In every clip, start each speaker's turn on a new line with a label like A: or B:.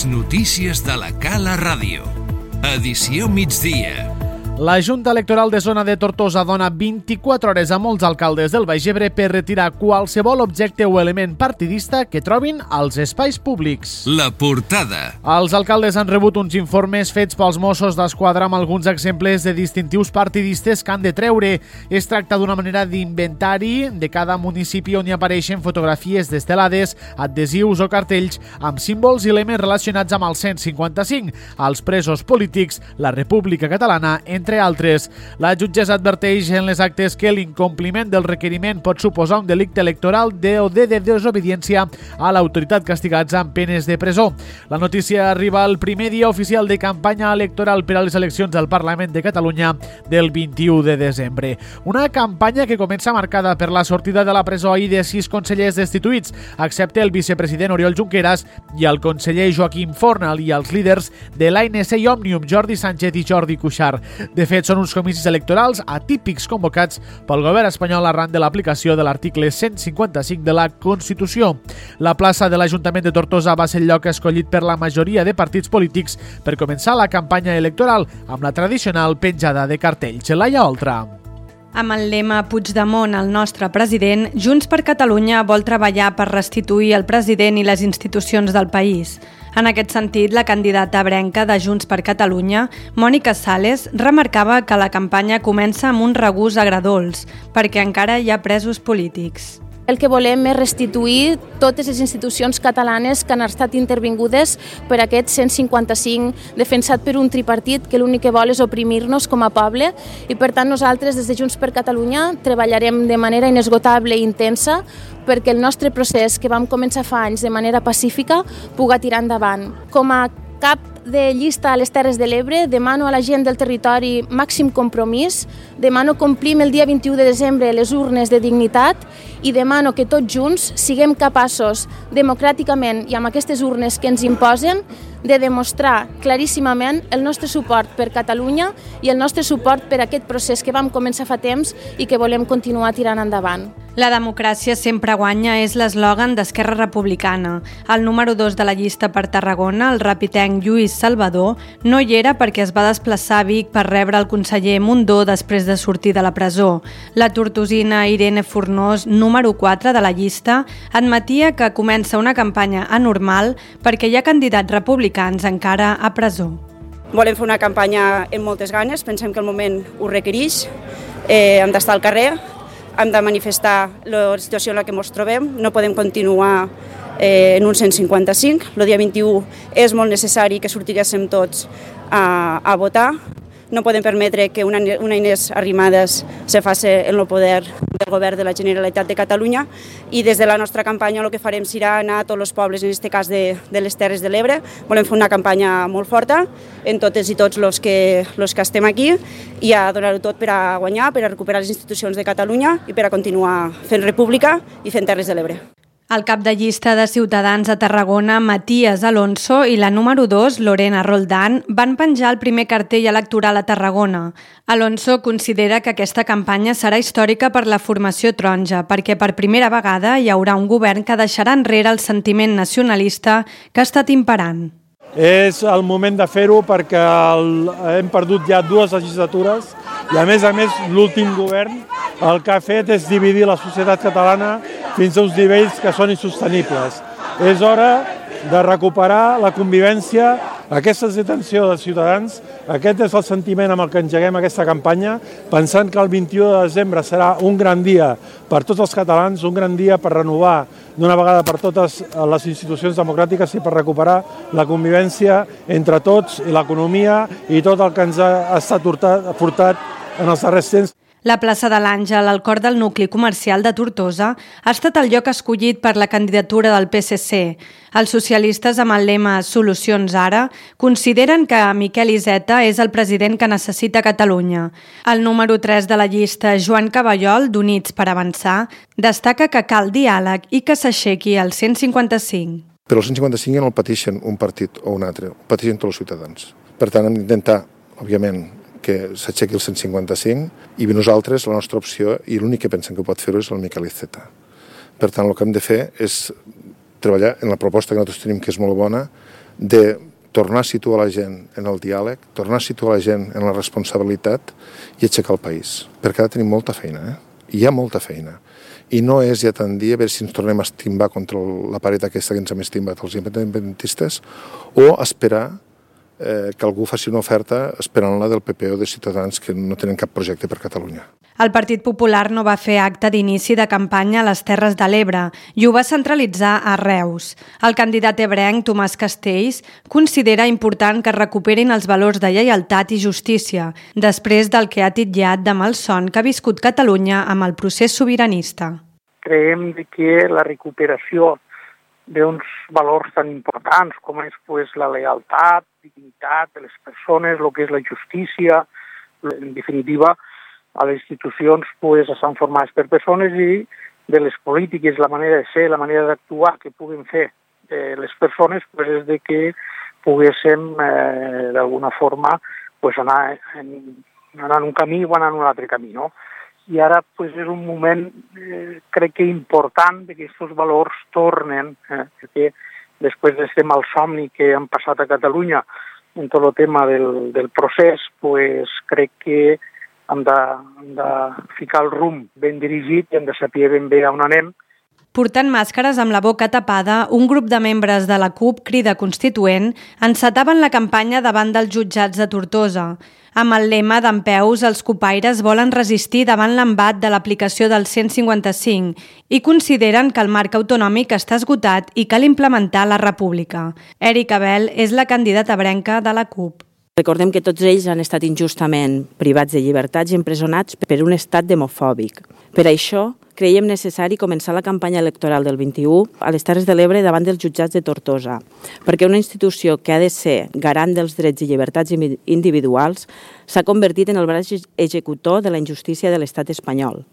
A: Les notícies de la Cala Ràdio. Edició migdia.
B: La Junta Electoral de Zona de Tortosa dona 24 hores a molts alcaldes del Baix Ebre per retirar qualsevol objecte o element partidista que trobin als espais públics.
A: La portada.
B: Els alcaldes han rebut uns informes fets pels Mossos d'Esquadra amb alguns exemples de distintius partidistes que han de treure. Es tracta d'una manera d'inventari de cada municipi on hi apareixen fotografies destelades, adhesius o cartells amb símbols i elements relacionats amb el 155, els presos polítics, la República Catalana, entre altres. La jutgessa adverteix en les actes que l'incompliment del requeriment pot suposar un delicte electoral o de desobediència a l'autoritat castigats amb penes de presó. La notícia arriba al primer dia oficial de campanya electoral per a les eleccions al Parlament de Catalunya del 21 de desembre. Una campanya que comença marcada per la sortida de la presó ahir de 6 consellers destituïts, excepte el vicepresident Oriol Junqueras i el conseller Joaquim Fornal i els líders de l'ANC i Òmnium, Jordi Sánchez i Jordi Cuixart. De fet, són uns comicis electorals atípics convocats pel govern espanyol arran de l'aplicació de l'article 155 de la Constitució. La plaça de l'Ajuntament de Tortosa va ser el lloc escollit per la majoria de partits polítics per començar la campanya electoral amb la tradicional penjada de cartells. Laia Oltra.
C: Amb el lema Puigdemont, el nostre president, Junts per Catalunya vol treballar per restituir el president i les institucions del país. En aquest sentit, la candidata ebrenca de Junts per Catalunya, Mònica Sales, remarcava que la campanya comença amb un regust agredolç, perquè encara hi ha presos polítics.
D: El que volem és restituir totes les institucions catalanes que han estat intervingudes per aquest 155 defensat per un tripartit que l'únic que vol és oprimir-nos com a poble i per tant nosaltres des de Junts per Catalunya treballarem de manera inesgotable i intensa perquè el nostre procés que vam començar fa anys de manera pacífica puga tirar endavant. Com a cap de llista a les Terres de l'Ebre, demano a la gent del territori màxim compromís, demano complim el dia 21 de desembre les urnes de dignitat i demano que tots junts siguem capaços democràticament i amb aquestes urnes que ens imposen de demostrar claríssimament el nostre suport per Catalunya i el nostre suport per aquest procés que vam començar fa temps i que volem continuar tirant endavant.
C: La democràcia sempre guanya és l'eslògan d'Esquerra Republicana. El número 2 de la llista per Tarragona, el rapitenc Lluís Salvador, no hi era perquè es va desplaçar a Vic per rebre el conseller Mundó després de sortir de la presó. La tortosina Irene Fornós, número 4 de la llista, admetia que comença una campanya anormal perquè hi ha candidats republicans encara a presó.
E: Volem fer una campanya amb moltes ganes, pensem que el moment ho requereix, hem d'estar al carrer, hem de manifestar la situació en la que ens trobem, no podem continuar en un 155. El dia 21 és molt necessari que sortiguéssim tots a votar. No podem permetre que una Inés Arrimadas se faci en el poder del govern de la Generalitat de Catalunya i des de la nostra campanya el que farem serà anar a tots els pobles, en aquest cas de les Terres de l'Ebre. Volem fer una campanya molt forta en totes i tots els que estem aquí i a donar-ho tot per a guanyar, per a recuperar les institucions de Catalunya i per a continuar fent república i fent Terres de l'Ebre.
C: El cap de llista de Ciutadans a Tarragona, Matías Alonso, i la número 2, Lorena Roldán, van penjar el primer cartell electoral a Tarragona. Alonso considera que aquesta campanya serà històrica per la formació taronja, perquè per primera vegada hi haurà un govern que deixarà enrere el sentiment nacionalista que ha estat imperant.
F: És el moment de fer-ho perquè hem perdut ja 2 legislatures i a més l'últim govern el que ha fet és dividir la societat catalana fins a uns nivells que són insostenibles. És hora de recuperar la convivència, aquesta és l'atenció dels ciutadans, aquest és el sentiment amb el que engeguem aquesta campanya, pensant que el 21 de desembre serà un gran dia per tots els catalans, un gran dia per renovar d'una vegada per totes les institucions democràtiques i per recuperar la convivència entre tots i l'economia i tot el que ens ha estat portat en els darrers temps.
C: La plaça de l'Àngel, al cor del nucli comercial de Tortosa, ha estat el lloc escollit per la candidatura del PSC. Els socialistes, amb el lema Solucions ara, consideren que Miquel Iceta és el president que necessita Catalunya. El número 3 de la llista, Joan Caballol, d'Units per Avançar, destaca que cal diàleg i que s'aixequi el 155.
G: Però el 155 ja no el pateixen un partit o un altre, el pateixen tots els ciutadans. Per tant, hem d'intentar, òbviament, que s'aixequi el 155 i nosaltres, la nostra opció, i l'únic que pensem que pot fer-ho és el Miquel Iceta. Per tant, el que hem de fer és treballar en la proposta que nosaltres tenim, que és molt bona, de tornar a situar la gent en el diàleg, tornar a situar la gent en la responsabilitat i aixecar el país. Perquè ara tenim molta feina, Hi ha molta feina. I no és ja tant dir a veure si ens tornem a estimbar contra la paret aquesta que ens hem estimbat els independentistes o esperar que algú faci una oferta esperant-la del PP o de Ciutadans que no tenen cap projecte per Catalunya.
C: El Partit Popular no va fer acte d'inici de campanya a les Terres de l'Ebre i ho va centralitzar a Reus. El candidat ebrenc, Tomàs Castells, considera important que es recuperin els valors de lleialtat i justícia, després del que ha titllat de malson que ha viscut Catalunya amb el procés sobiranista.
H: Creiem que la recuperació d'uns valors tan importants com és la lealtat, dignitat de les persones, el que és la justícia, en definitiva, a les institucions estan formades per persones i de les polítiques, la manera de ser, la manera d'actuar que puguen fer les persones és de que poguéssim d'alguna forma anar en un camí o anar en un altre camí, no? I ara és un moment, crec que important, que aquests valors tornen, perquè després d'aquest malsomni que han passat a Catalunya en tot el tema del procés, crec que hem de ficar el rumb ben dirigit i hem de saber ben bé on anem.
C: Portant màscares amb la boca tapada, un grup de membres de la CUP Crida Constituent encetaven la campanya davant dels jutjats de Tortosa. Amb el lema «Dempeus, els cupaires volen resistir davant l'embat de l'aplicació del 155» i consideren que el marc autonòmic està esgotat i cal implementar la república. Èrica Abel és la candidata ebrenca de la CUP.
I: Recordem que tots ells han estat injustament privats de llibertats i empresonats per un estat demofòbic. Per això, creiem necessari començar la campanya electoral del 21 a les Terres de l'Ebre davant dels jutjats de Tortosa, perquè una institució que ha de ser garant dels drets i llibertats individuals s'ha convertit en el braç executor de la injustícia de l'estat espanyol.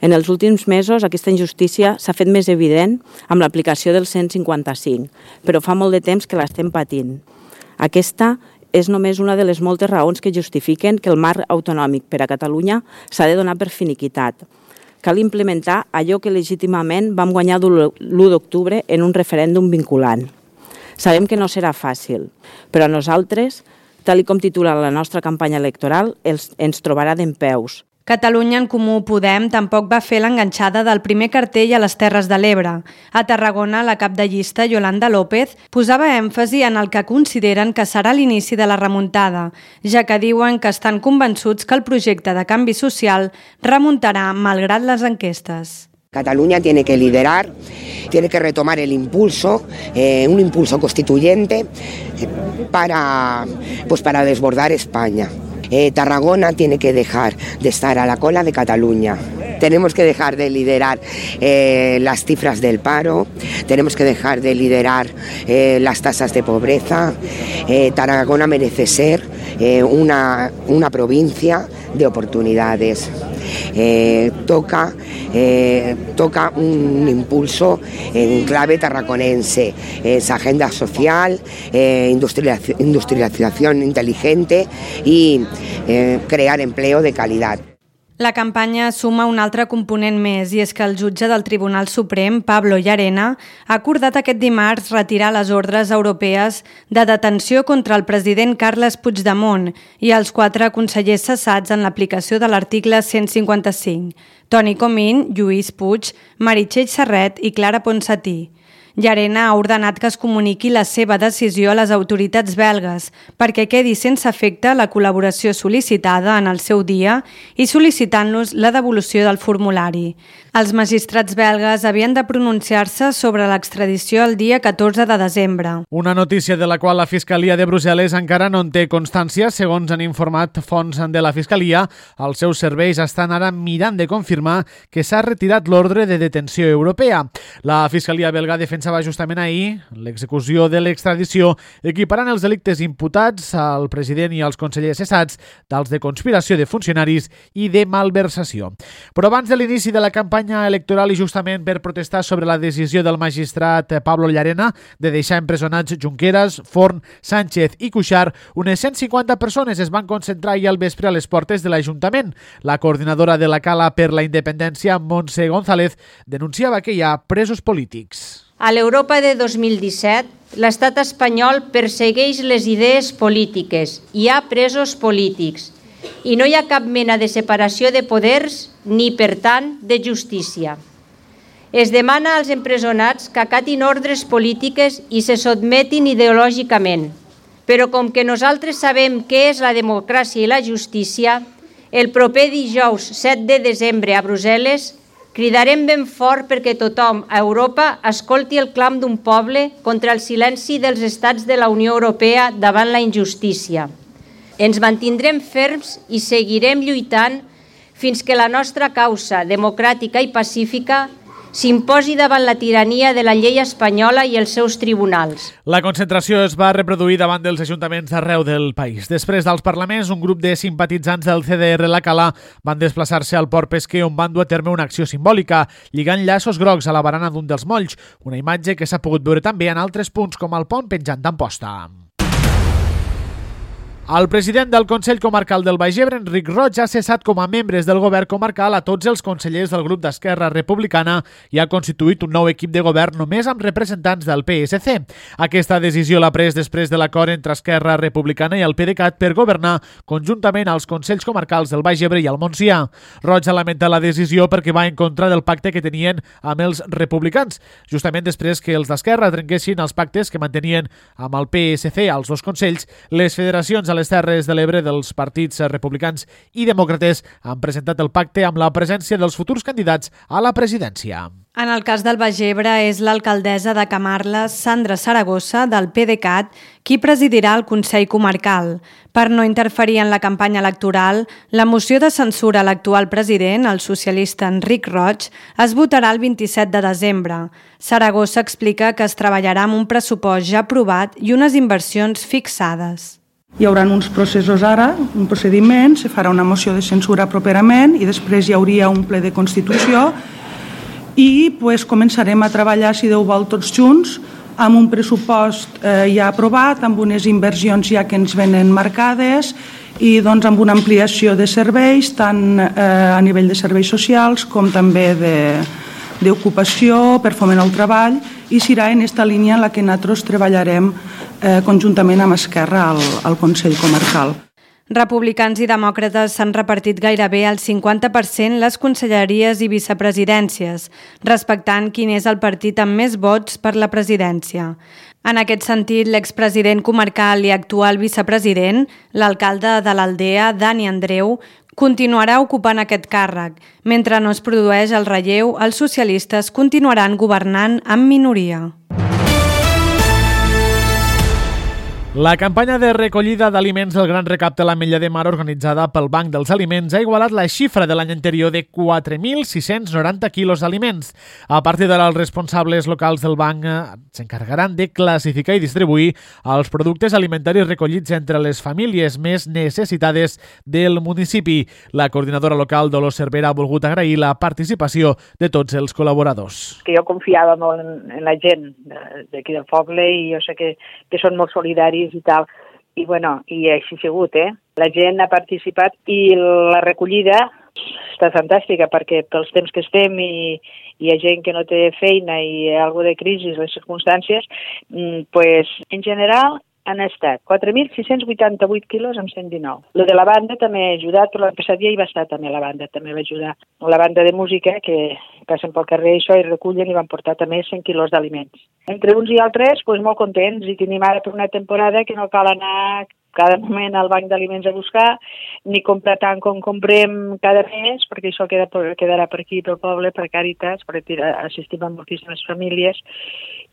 I: En els últims mesos aquesta injustícia s'ha fet més evident amb l'aplicació del 155, però fa molt de temps que l'estem patint. Aquesta és només una de les moltes raons que justifiquen que el marc autonòmic per a Catalunya s'ha de donar per finiquitat. Cal implementar allò que legítimament vam guanyar l'1 d'octubre en un referèndum vinculant. Sabem que no serà fàcil, però a nosaltres, tal com titula la nostra campanya electoral, ens trobarà dempeus.
C: Catalunya en Comú Podem tampoc va fer l'enganxada del primer cartell a les Terres de l'Ebre. A Tarragona, la cap de llista, Yolanda López, posava èmfasi en el que consideren que serà l'inici de la remuntada, ja que diuen que estan convençuts que el projecte de canvi social remuntarà malgrat les enquestes.
J: Cataluña tiene que liderar, tiene que retomar el impulso, un impulso constituyente para desbordar España. Tarragona tiene que dejar de estar a la cola de Cataluña. Tenemos que dejar de liderar las cifras del paro, tenemos que dejar de liderar las tasas de pobreza. Tarragona merece ser una provincia de oportunidades. Toca un impulso en clave tarraconense, esa agenda social, industrialización inteligente y crear empleo de calidad.
C: La campanya suma un altre component més i és que el jutge del Tribunal Suprem, Pablo Llarena, ha acordat aquest dimarts retirar les ordres europees de detenció contra el president Carles Puigdemont i els 4 consellers cessats en l'aplicació de l'article 155, Toni Comín, Lluís Puig, Meritxell Serret i Clara Ponsatí. Llarena ha ordenat que es comuniqui la seva decisió a les autoritats belgues perquè quedi sense efecte la col·laboració sol·licitada en el seu dia i sol·licitant-los la devolució del formulari. Els magistrats belgues havien de pronunciar-se sobre l'extradició el dia 14 de desembre.
B: Una notícia de la qual la Fiscalia de Brussel·les encara no en té constància. Segons han informat fonts de la Fiscalia, els seus serveis estan ara mirant de confirmar que s'ha retirat l'ordre de detenció europea. La Fiscalia belga defensava justament ahir l'execució de l'extradició, equiparant els delictes imputats al president i als consellers cessats dels de conspiració de funcionaris i de malversació. Però abans de l'inici de la campanya electoral i justament per protestar sobre la decisió del magistrat Pablo Llarena de deixar empresonats Junqueras, Forn, Sánchez i Cuixart, unes 150 persones es van concentrar ahir al vespre a les portes de l'Ajuntament. La coordinadora de la Cala per la Independència, Montse González, denunciava que hi ha presos polítics.
K: A l'Europa de 2017, l'estat espanyol persegueix les idees polítiques, hi ha presos polítics i no hi ha cap mena de separació de poders ni, per tant, de justícia. Es demana als empresonats que acatin ordres polítiques i se sotmetin ideològicament, però com que nosaltres sabem què és la democràcia i la justícia, el proper dijous 7 de desembre a Brussel·les cridarem ben fort perquè tothom a Europa escolti el clam d'un poble contra el silenci dels estats de la Unió Europea davant la injustícia. Ens mantindrem ferms i seguirem lluitant fins que la nostra causa democràtica i pacífica s'imposi davant la tirania de la llei espanyola i els seus tribunals.
B: La concentració es va reproduir davant dels ajuntaments d'arreu del país. Després dels parlaments, un grup de simpatitzants del CDR La Cala van desplaçar-se al Port Pesquer on van dur a terme una acció simbòlica, lligant llaços grocs a la barana d'un dels molls, una imatge que s'ha pogut veure també en altres punts com el pont penjant d'Amposta. El president del Consell Comarcal del Baix Ebre, Enric Roig, ha cessat com a membres del govern comarcal a tots els consellers del grup d'Esquerra Republicana i ha constituït un nou equip de govern només amb representants del PSC. Aquesta decisió l'ha pres després de l'acord entre Esquerra Republicana i el PDeCAT per governar conjuntament als Consells Comarcals del Baix Ebre i el Montsià. Roig ha lamentat la decisió perquè va en contra del pacte que tenien amb els republicans, justament després que els d'Esquerra trenquessin els pactes que mantenien amb el PSC als dos consells. Les federacions a les Terres de l'Ebre dels partits republicans i demòcrates han presentat el pacte amb la presència dels futurs candidats a la presidència.
C: En el cas del Baix Ebre és l'alcaldessa de Camarles, Sandra Saragossa, del PDeCAT, qui presidirà el Consell Comarcal. Per no interferir en la campanya electoral, la moció de censura a l'actual president, el socialista Enric Roig, es votarà el 27 de desembre. Saragossa explica que es treballarà amb un pressupost ja aprovat i unes inversions fixades.
L: Hi haurà uns processos ara, un procediment, se farà una moció de censura properament i després hi hauria un ple de Constitució i començarem a treballar, si Déu vol, tots junts, amb un pressupost ja aprovat, amb unes inversions ja que ens venen marcades i amb una ampliació de serveis, tant a nivell de serveis socials com també d'ocupació, per foment al treball, i serà en aquesta línia en la que nosaltres treballarem conjuntament amb Esquerra al Consell Comarcal.
C: Republicans i demòcrates s'han repartit gairebé al 50% les conselleries i vicepresidències, respectant quin és el partit amb més vots per la presidència. En aquest sentit, l'expresident comarcal i actual vicepresident, l'alcalde de l'Aldea, Dani Andreu, continuarà ocupant aquest càrrec. Mentre no es produeix el relleu, els socialistes continuaran governant amb minoria.
B: La campanya de recollida d'aliments del Gran Recapte a l'Ametlla de Mar organitzada pel Banc dels Aliments ha igualat la xifra de l'any anterior de 4.690 quilos d'aliments. A partir d'ara, els responsables locals del banc s'encarregaran de classificar i distribuir els productes alimentaris recollits entre les famílies més necessitades del municipi. La coordinadora local, Dolors Cervera, ha volgut agrair la participació de tots els col·laboradors.
M: Que jo confiava molt en la gent d'aquí del poble i jo sé que són molt solidaris i tal, i així ha sigut, La gent ha participat i la recollida està fantàstica perquè pels temps que estem i hi ha gent que no té feina i hi ha alguna de crisi, les circumstàncies, en general han estat 4.688 quilos amb 119. Lo de la banda també ha ajudat, però l'any passat ja hi va estar també la banda, també va ajudar. La banda de música que passen pel carrer i recullen i van portar també 100 quilos d'aliments. Entre uns i altres, molt contents i tenim ara per una temporada que no cal anar cada moment al banc d'aliments a buscar, ni comprar tant com comprem cada mes, perquè això quedarà per aquí, pel poble, per Càritas, perquè assistim a moltíssimes famílies.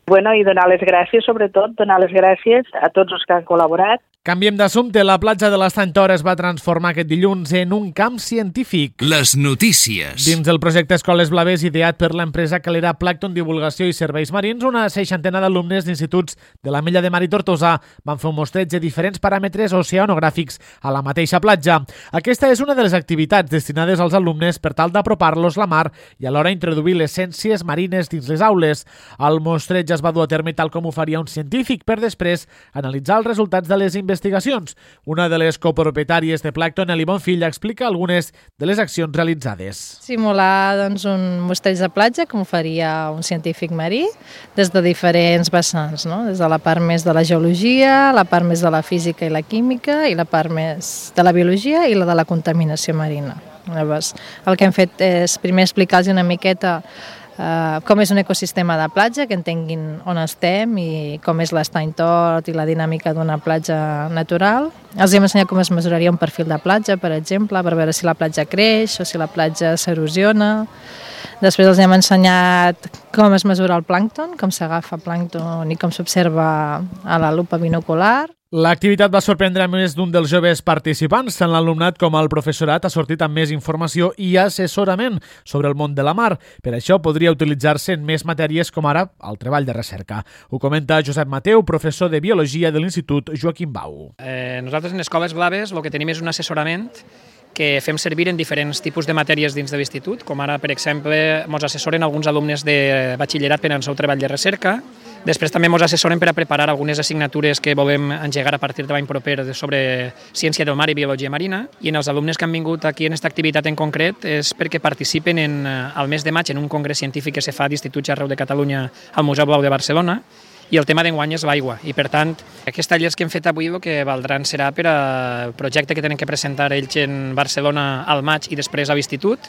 M: I donar les gràcies, sobretot, donar les gràcies a tots els que han col·laborat.
B: Canviem d'assumpte. La platja de l'Estany Tor es va transformar aquest dilluns en un camp científic.
A: Les notícies.
B: Dins del projecte Escoles Blaves, ideat per l'empresa calera Plàncton Divulgació i Serveis Marins, una 60 d'alumnes d'instituts de l'Ametlla de Mar i Tortosa van fer un mostreig de diferents paràmetres oceanogràfics a la mateixa platja. Aquesta és una de les activitats destinades als alumnes per tal d'apropar-los la mar i alhora introduir les ciències marines dins les aules. El mostreig es va dur a terme tal com ho faria un científic per després analitzar els resultats de les investigacions investigacions. Una de les copropietàries de Plàncton, Eli Bonfill, explica algunes de les accions realitzades.
N: Simular un mostreig de platja, com faria un científic marí, des de diferents vessants, no? Des de la part més de la geologia, la part més de la física i la química, i la part més de la biologia i la de la contaminació marina. Llavors, el que hem fet és primer explicar-los una miqueta com és un ecosistema de platja, que entenguin on estem i com és l'estany tot i la dinàmica d'una platja natural. Els hem ensenyat com es mesuraria un perfil de platja, per exemple, per veure si la platja creix o si la platja s'erosiona. Després els hem ensenyat com es mesura el plàncton, com s'agafa plàncton i com s'observa a la lupa binocular.
B: L'activitat va sorprendre a més d'un dels joves participants. Tant l'alumnat com el professorat ha sortit amb més informació i assessorament sobre el món de la mar. Per això podria utilitzar-se en més matèries com ara el treball de recerca. Ho comenta Josep Mateu, professor de Biologia de l'Institut Joaquim Bau.
O: Nosaltres en Escoles Blaves el que tenim és un assessorament que fem servir en diferents tipus de matèries dins de l'institut, com ara, per exemple, ens assessoren alguns alumnes de batxillerat per al seu treball de recerca. Després també ens assessoren per a preparar algunes assignatures que volem engegar a partir de l'any proper sobre ciència del mar i biologia marina. I en els alumnes que han vingut aquí en aquesta activitat en concret és perquè participen al mes de maig en un congrés científic que se fa a d'instituts arreu de Catalunya al Museu Blau de Barcelona, i el tema d'enguany és l'aigua. I, per tant, aquests tallers que hem fet avui el que valdran serà per al projecte que tenen que presentar ells en Barcelona al maig i després a l'institut.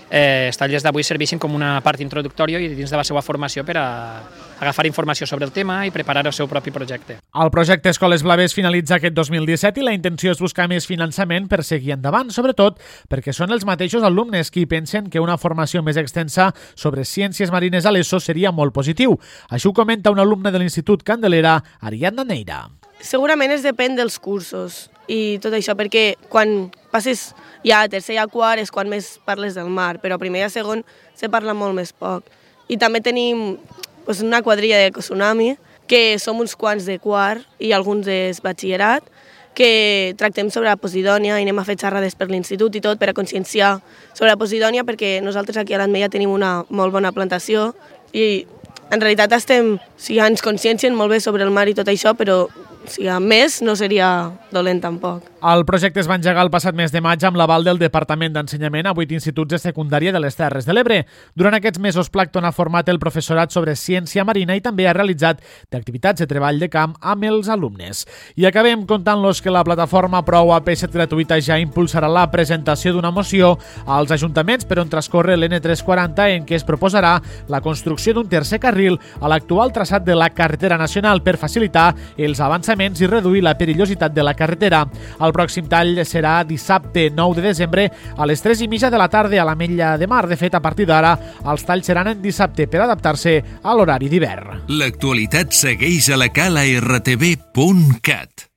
O: Els tallers d'avui serveixen com una part introductòria i dins de la seva formació per a agafar informació sobre el tema i preparar el seu propi projecte.
B: El projecte Escoles Blaves finalitza aquest 2017 i la intenció és buscar més finançament per seguir endavant, sobretot perquè són els mateixos alumnes qui pensen que una formació més extensa sobre ciències marines a l'ESO seria molt positiu. Això ho comenta un alumne de l'Institut Candelera, Ariadna Neira.
P: Segurament es depèn dels cursos i tot això, perquè quan passes ja a tercer i a quart és quan més parles del mar, però a primer i a segon se parla molt més poc. I també tenim una quadrilla de Tsunami, que som uns quants de quart i alguns de batxillerat, que tractem sobre la Posidònia i anem a fer xerrades per l'institut i tot per a conscienciar sobre la Posidònia, perquè nosaltres aquí a l'Ametlla tenim una molt bona plantació i en realitat ens consciencien molt bé sobre el mar i tot això, però a més no seria dolent tampoc.
B: El projecte es va engegar el passat mes de maig amb l'aval del Departament d'Ensenyament a 8 instituts de secundària de les Terres de l'Ebre. Durant aquests mesos, Plàncton ha format el professorat sobre ciència marina i també ha realitzat activitats de treball de camp amb els alumnes. I acabem contant-los que la plataforma Prou a Peixet Gratuïta ja impulsarà la presentació d'una moció als ajuntaments per on transcorre l'N340 en què es proposarà la construcció d'un tercer carril a l'actual traçat de la carretera nacional per facilitar els avançaments i reduir la perillositat de la carretera. El pròxim tall serà dissabte 9 de desembre a les 3:30 de la tarda a l'Ametlla de Mar. De fet, a partir d'ara, els talls seran en dissabte per adaptar-se a l'horari d'hivern.
A: L'actualitat segueix a la cala rtv.cat.